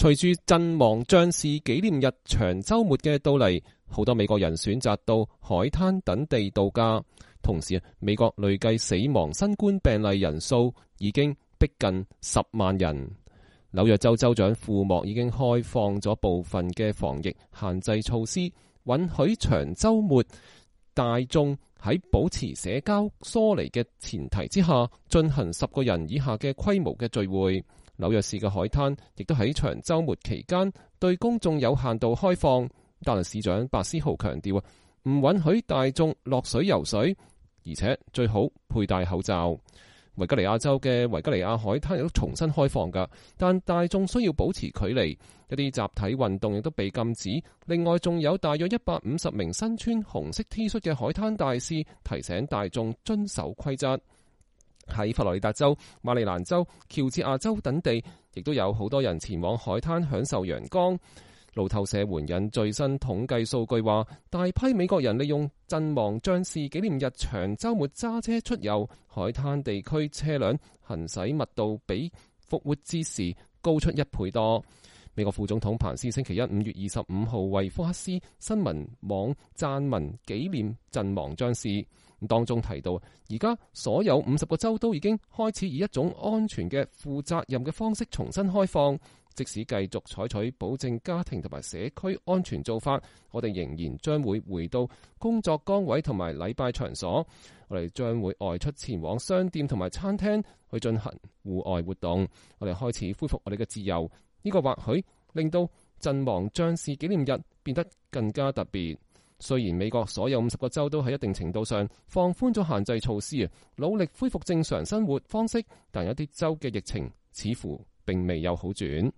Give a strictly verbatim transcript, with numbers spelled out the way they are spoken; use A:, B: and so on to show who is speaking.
A: 隨住陣亡將士紀念日長週末嘅到嚟，好多美國人選擇到海灘等地度假。同時，美國累計死亡新冠病例人數已經逼近十萬人。紐約州州長庫莫已經開放咗部分嘅防疫限制措施，允許長週末大眾喺保持社交疏離嘅前提之下，進行十個人以下嘅規模嘅聚會。紐約市嘅海灘亦都喺長週末期間對公眾有限度開放，但係市長白思豪強調啊，唔允許大眾落水游水，而且最好佩戴口罩。維吉尼亞州嘅維吉尼亞海灘亦都重新開放㗎，但大眾需要保持距離，一啲集體運動亦都被禁止。另外，仲有大約一百五十名身穿紅色 T 恤嘅海灘大使提醒大眾遵守規則。喺佛羅里達州、馬里蘭州、喬治亞州等地，亦都有好多人前往海灘享受陽光。路透社援引最新統計數據話，大批美國人利用陣亡將士紀念日長週末揸車出遊，海灘地區車輛行駛密度比復活節時高出一倍多。美國副總統彭斯星期一五月二十五號為福克斯新聞網撰文紀念陣亡將士，當中提到，而家所有五十個州都已經開始以一種安全嘅、負責任嘅方式重新開放。即使繼續採取保證家庭同埋社區安全做法，我哋仍然將會回到工作崗位同埋禮拜場所。我哋將會外出前往商店同埋餐廳去進行戶外活動。我哋開始恢復我哋嘅自由。呢個或許令到陣亡將士紀念日變得更加特別。雖然美國所有五十個州都喺一定程度上放寬咗限制措施啊，努力恢復正常生活方式，但有啲州嘅疫情似乎並未有好轉。